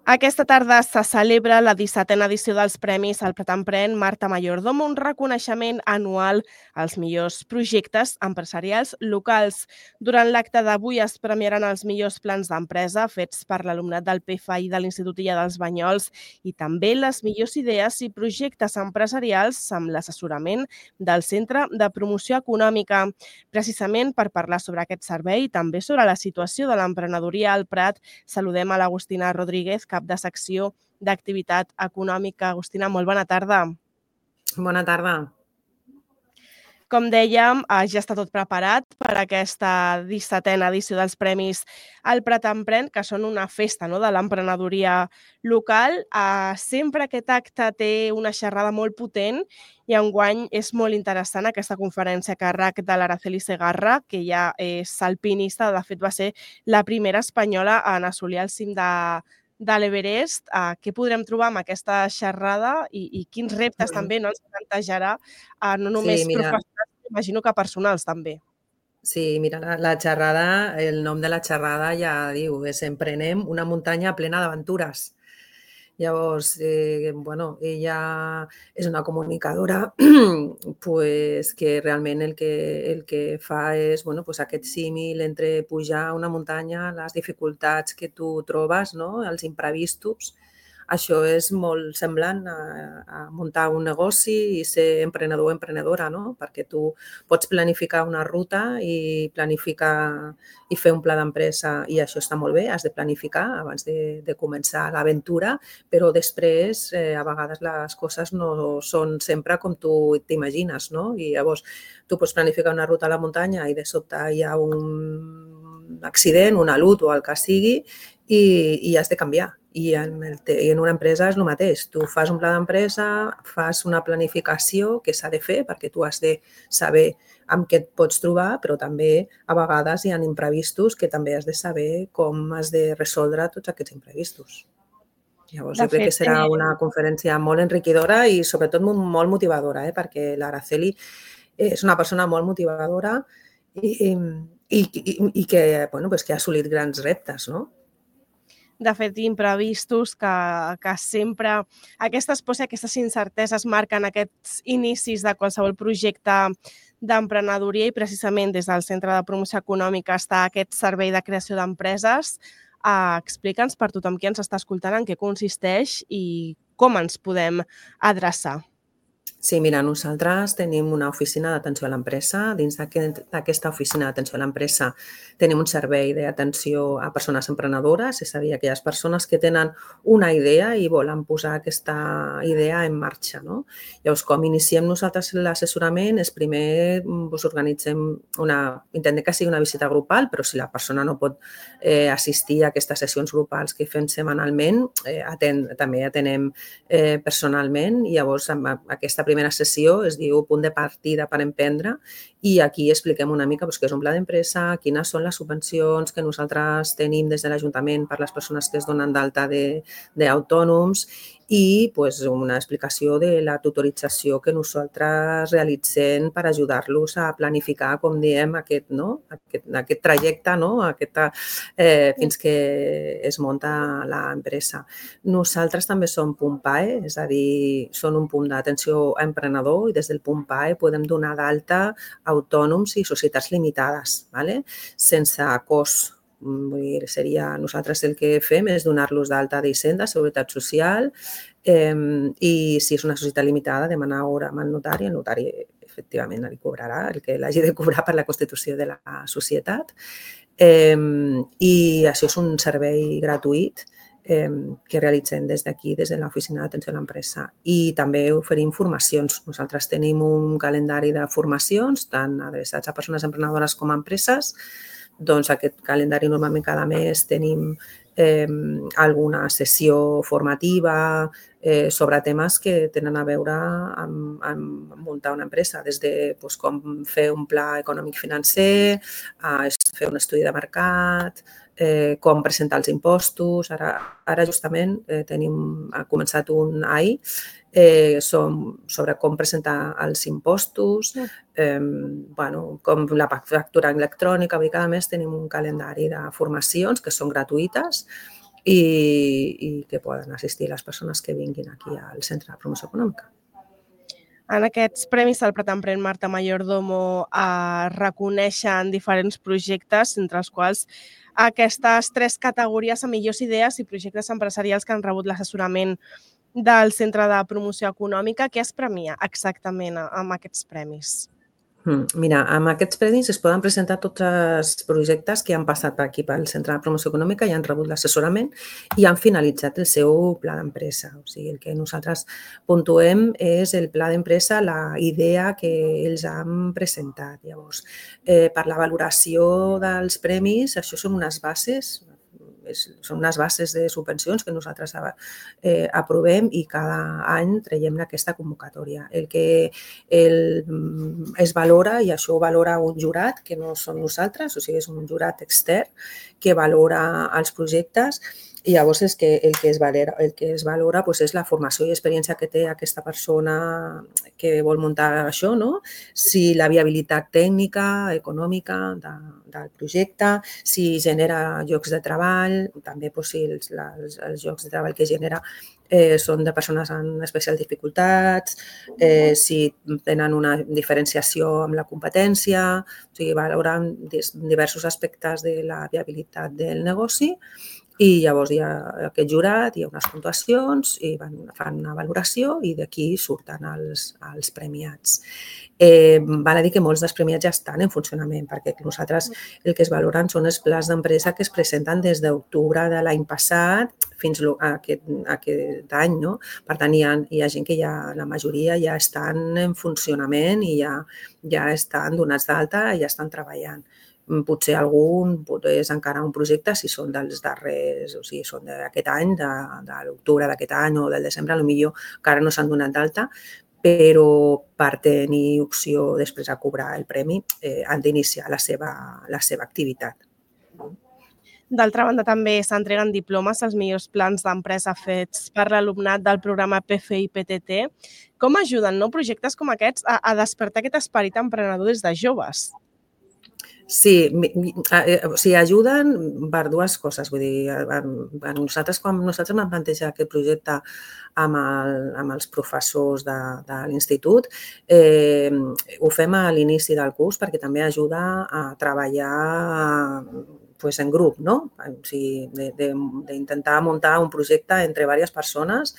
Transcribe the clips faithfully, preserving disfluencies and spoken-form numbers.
Aquesta tarda se celebra la dissetena edició dels Premis al Prat Emprèn Marta Mayordomo, un reconeixement anual als millors projectes empresarials locals. Durant l'acte d'avui es premiaran els millors plans d'empresa fets per l'alumnat del P F I de l'Institut Illa dels Banyols i també les millors idees i projectes empresarials amb l'assessorament del Centre de Promoció Econòmica. Precisament per parlar sobre aquest servei i també sobre la situació de l'emprenedoria al Prat, saludem a l'Agustina Rodríguez, cap de secció d'activitat econòmica. Agustina, molt bona tarda. Bona tarda. Com dèiem, ja està tot preparat per aquesta dissetena edició dels Premis al Prat Emprèn, que són una festa no, de l'emprenedoria local. Sempre aquest acte té una xerrada molt potent i enguany és molt interessant aquesta conferència a càrrec de l'Araceli Segarra, que ja és alpinista, de fet va ser la primera espanyola en assolir el cim de de l'Everest. Uh, què podrem trobar amb aquesta xerrada i, i quins reptes també no ens plantejarà, uh, no només sí, professionals, imagino que personals també. Sí, mira, la, la xerrada, el nom de la xerrada ja diu, és Emprenem una muntanya plena d'aventures. Llavors, eh, bueno, ella és una comunicadora pues, que realment el que, el que fa és bueno, pues, aquest símil entre pujar una muntanya, les dificultats que tu trobes, no? Els imprevistos. Això és molt semblant a, a muntar un negoci i ser emprenedor o emprenedora, no? Perquè tu pots planificar una ruta i planificar i fer un pla d'empresa i això està molt bé, has de planificar abans de, de començar l'aventura, però després eh, a vegades les coses no són sempre com tu t'imagines, no? I llavors tu pots planificar una ruta a la muntanya i de sobte hi ha un accident, una lut o el que sigui i, i has de canviar. I en, el, I en una empresa és el mateix. Tu fas un pla d'empresa, fas una planificació que s'ha de fer perquè tu has de saber amb què et pots trobar, però també a vegades hi ha imprevistos que també has de saber com has de resoldre tots aquests imprevistos. Llavors, de jo crec fet, que serà una conferència molt enriquidora i sobretot molt motivadora, eh? Perquè l'Araceli és una persona molt motivadora i, i, i, i que, bueno, pues que ha assolit grans reptes, no? De fet, imprevistos que, que sempre aquestes pors i aquestes incerteses marquen aquests inicis de qualsevol projecte d'emprenedoria i precisament des del Centre de Promoció Econòmica està aquest servei de creació d'empreses. Uh, Explica'ns per tothom qui ens està escoltant en què consisteix i com ens podem adreçar. Sí, mira, nosaltres tenim una oficina d'atenció a l'empresa. Dins d'aquesta oficina d'atenció a l'empresa tenim un servei d'atenció a persones emprenedores, és a dir, aquelles persones que tenen una idea i volen posar aquesta idea en marxa, no? Llavors, com iniciem nosaltres l'assessorament, és primer us organitzem una, intentem que sigui una visita grupal, però si la persona no pot eh, assistir a aquestes sessions grupals que fem setmanalment, eh, aten, també atenem eh, personalment i llavors amb aquesta primera sessió es diu punt de partida per emprendre i aquí expliquem una mica doncs, què és un pla d'empresa, quines són les subvencions que nosaltres tenim des de l'Ajuntament per les persones que es donen d'alta d'autònoms i doncs, una explicació de la tutorització que nosaltres realitzem per ajudar-los a planificar, com diem, aquest, no? aquest, aquest trajecte no? Aquesta, eh, fins que es munta l'empresa. Nosaltres també som punt P A E, és a dir, són un punt d'atenció a emprenedor i des del punt P A E podem donar d'alta autònoms i societats limitades, ¿vale? Sense cost. Vull dir, seria, nosaltres el que fem és donar-los d'alta d'Hisenda, Seguretat Social eh, i si és una societat limitada demanar hora amb el notari, el notari efectivament li cobrarà el que l'hagi de cobrar per la constitució de la societat eh, i això és un servei gratuït eh, que realitzem des d'aquí, des de l'oficina d'atenció a l'empresa i també oferim formacions. Nosaltres tenim un calendari de formacions tant adreçats a persones emprenedores com a empreses. Doncs aquest calendari normalment cada mes tenim eh, alguna sessió formativa eh, sobre temes que tenen a veure amb, amb muntar una empresa, des de doncs, com fer un pla econòmic financer, a fer un estudi de mercat, eh, com presentar els impostos. Ara, ara justament eh, tenim, ha començat un ahir Eh, som sobre com presentar els impostos, eh, bueno, com la factura electrònica. Cada mes tenim un calendari de formacions que són gratuïtes i, i que poden assistir les persones que vinguin aquí al Centre de Promoció Econòmica. En aquests premis del Prat Emprèn Marta Mayordomo es reconeixen diferents projectes, entre els quals aquestes tres categories a millors idees i projectes empresarials que han rebut l'assessorament del Centre de Promoció Econòmica. Què es premia exactament amb aquests premis? Mira, amb aquests premis es poden presentar tots els projectes que han passat per aquí pel Centre de Promoció Econòmica i han rebut l'assessorament i han finalitzat el seu pla d'empresa. O sigui, el que nosaltres puntuem és el pla d'empresa, la idea que ells han presentat. Llavors, eh, per la valoració dels premis, això són unes bases, són unes bases de subvencions que nosaltres eh, aprovem i cada any traiem aquesta convocatòria. El que el, es valora, i això ho valora un jurat, que no són nosaltres, o sigui, és un jurat extern que valora els projectes. I llavors és que el que es valora, el que es valora doncs és la formació i experiència que té aquesta persona que vol muntar això, no? Si la viabilitat tècnica, econòmica de, del projecte, si genera llocs de treball, també doncs, si els, els, els llocs de treball que genera eh, són de persones amb especials dificultats, eh, si tenen una diferenciació amb la competència, o sigui, valoren diversos aspectes de la viabilitat del negoci. I llavors hi ha aquest jurat, hi ha unes puntuacions i van, fan una valoració i d'aquí surten els, els premiats. Eh, val a dir que molts dels premiats ja estan en funcionament perquè nosaltres el que es valoren són els plans d'empresa que es presenten des d'octubre de l'any passat fins a aquest, a aquest any. No? Per tant, hi ha, hi ha gent que ja, la majoria ja estan en funcionament i ja, ja estan donats d'alta i ja estan treballant. Potser algun és encara un projecte si són dels darrers, o sigui, són d'aquest any, de, de l'octubre d'aquest any o del desembre, potser encara no s'han donat d'alta, però per tenir opció després a cobrar el premi eh, han d'iniciar la seva, la seva activitat. D'altra banda, també s'entreguen diplomes als millors plans d'empresa fets per l'alumnat del programa P F I P T T. Com ajuden no, projectes com aquests a, a despertar aquest esperit emprenedor des de joves? Sí, o sigui, ajuden per dues coses. Vull dir, nosaltres, quan nosaltres vam plantejar aquest projecte amb, el, amb els professors de, de l'institut, eh, ho fem a l'inici del curs perquè també ajuda a treballar pues, en grup, no? O sigui, d'intentar muntar un projecte entre diverses persones.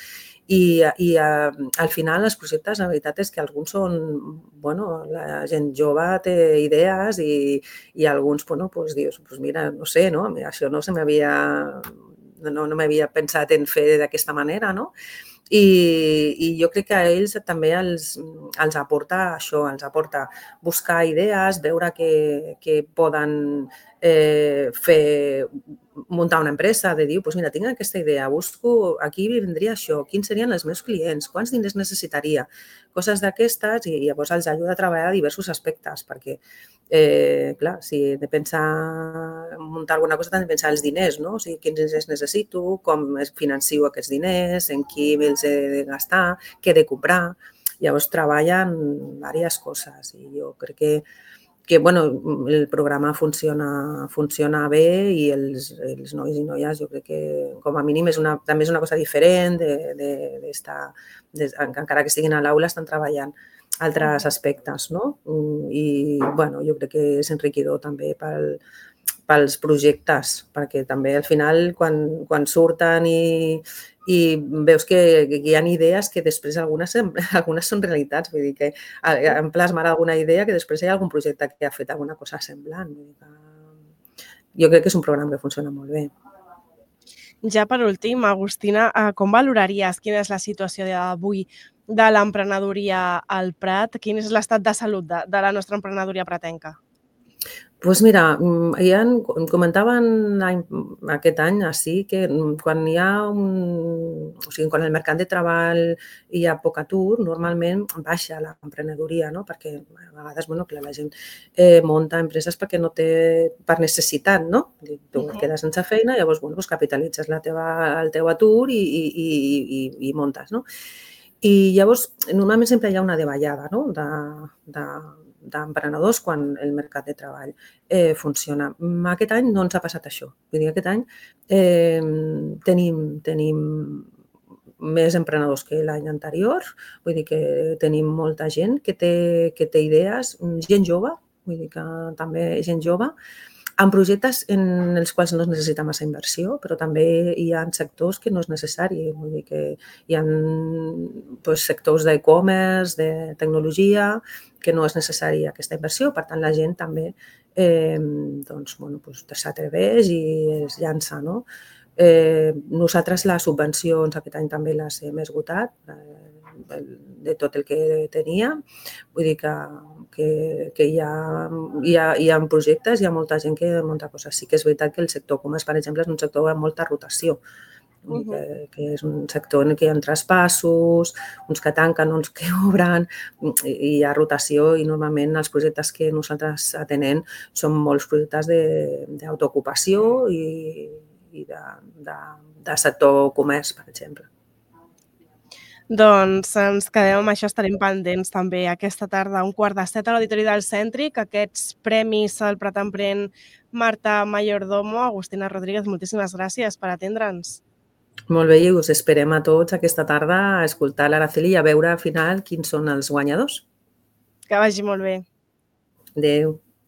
I, i a, al final els projectes, la veritat és que alguns són, bueno, la gent jove té idees i, i alguns, bueno, doncs dius, pues mira, no sé, no? Això no se m'havia, no, no m'havia pensat en fer d'aquesta manera, no? I, i jo crec que a ells també els, els aporta això, els aporta buscar idees, veure que, que poden eh, fer, muntar una empresa, de dir, doncs mira, tinc aquesta idea, busco, aquí vindria això, quins serien els meus clients, quants diners necessitaria, coses d'aquestes, i llavors els ajuda a treballar a diversos aspectes, perquè, eh, clar, si he de pensar, muntar alguna cosa, també pensar els diners, no? O sigui, quins diners necessito, com financio aquests diners, en qui els he de gastar, què he de comprar. Llavors treballen diverses coses i jo crec que que bueno, el programa funciona, funciona bé i els, els nois i noies jo crec que com a mínim és una, també és una cosa diferent, de, de, d'estar, de, encara que estiguin a l'aula estan treballant altres aspectes, no? I bueno, jo crec que és enriquidor també pel, pels projectes, perquè també al final quan, quan surten i, i veus que, que hi ha idees que després algunes, algunes són realitats, vull dir que han plasmat alguna idea que després hi ha algun projecte que ha fet alguna cosa semblant. Jo crec que és un programa que funciona molt bé. Ja per últim, Agustina, com valoraries quina és la situació d'avui de l'emprenedoria al Prat? Quin és l'estat de salut de, de la nostra emprenedoria pratenca? Doncs mira, ja comentaven aquest any així que quan hi ha un, o sigui, quan el mercat de treball hi ha poc atur, normalment baixa l'emprenedoria, no? Perquè a vegades, bueno, clar, la gent eh, munta empreses perquè no té, per necessitat, no? Tu et quedes sense feina, llavors, bueno, doncs capitalitzes la teva, el teu atur i, i, i, i muntes, no? I llavors, normalment sempre hi ha una davallada, no? De, de d'emprenedors quan el mercat de treball eh, funciona. Aquest any no ens ha passat això. Vull dir, aquest any eh, tenim, tenim més emprenedors que l'any anterior, vull dir que tenim molta gent que té, que té idees, gent jove, vull dir que també gent jove, amb projectes en els quals no es necessita massa inversió, però també hi ha sectors que no és necessari, vull dir que hi ha doncs, sectors d'e-commerce, de tecnologia, que no és necessari aquesta inversió, per tant la gent també eh, doncs, bueno, doncs, s'atreveix i es llança, no? Eh, nosaltres les subvencions aquest any també les hem esgotat eh, de tot el que tenia. Vull dir que, que, que hi, ha, hi, ha, hi ha projectes, hi ha molta gent que munta coses. Sí que és veritat que el sector comerç, per exemple, és un sector amb molta rotació. Vull dir que, que és un sector en què hi ha traspassos, uns que tanquen, uns que obren, i hi ha rotació i normalment els projectes que nosaltres atenem són molts projectes d'autoocupació i i de, de, de sector comerç, per exemple. Doncs ens quedem amb això, estarem pendents també aquesta tarda a un quart de set a l'Auditori del Cèntric, aquests premis al Prat Emprèn Marta Mayordomo. Agustina Rodríguez, moltíssimes gràcies per atendre'ns. Molt bé, i us esperem a tots aquesta tarda a escoltar l'Araceli i a veure al final quins són els guanyadors. Que vagi molt bé. Adéu.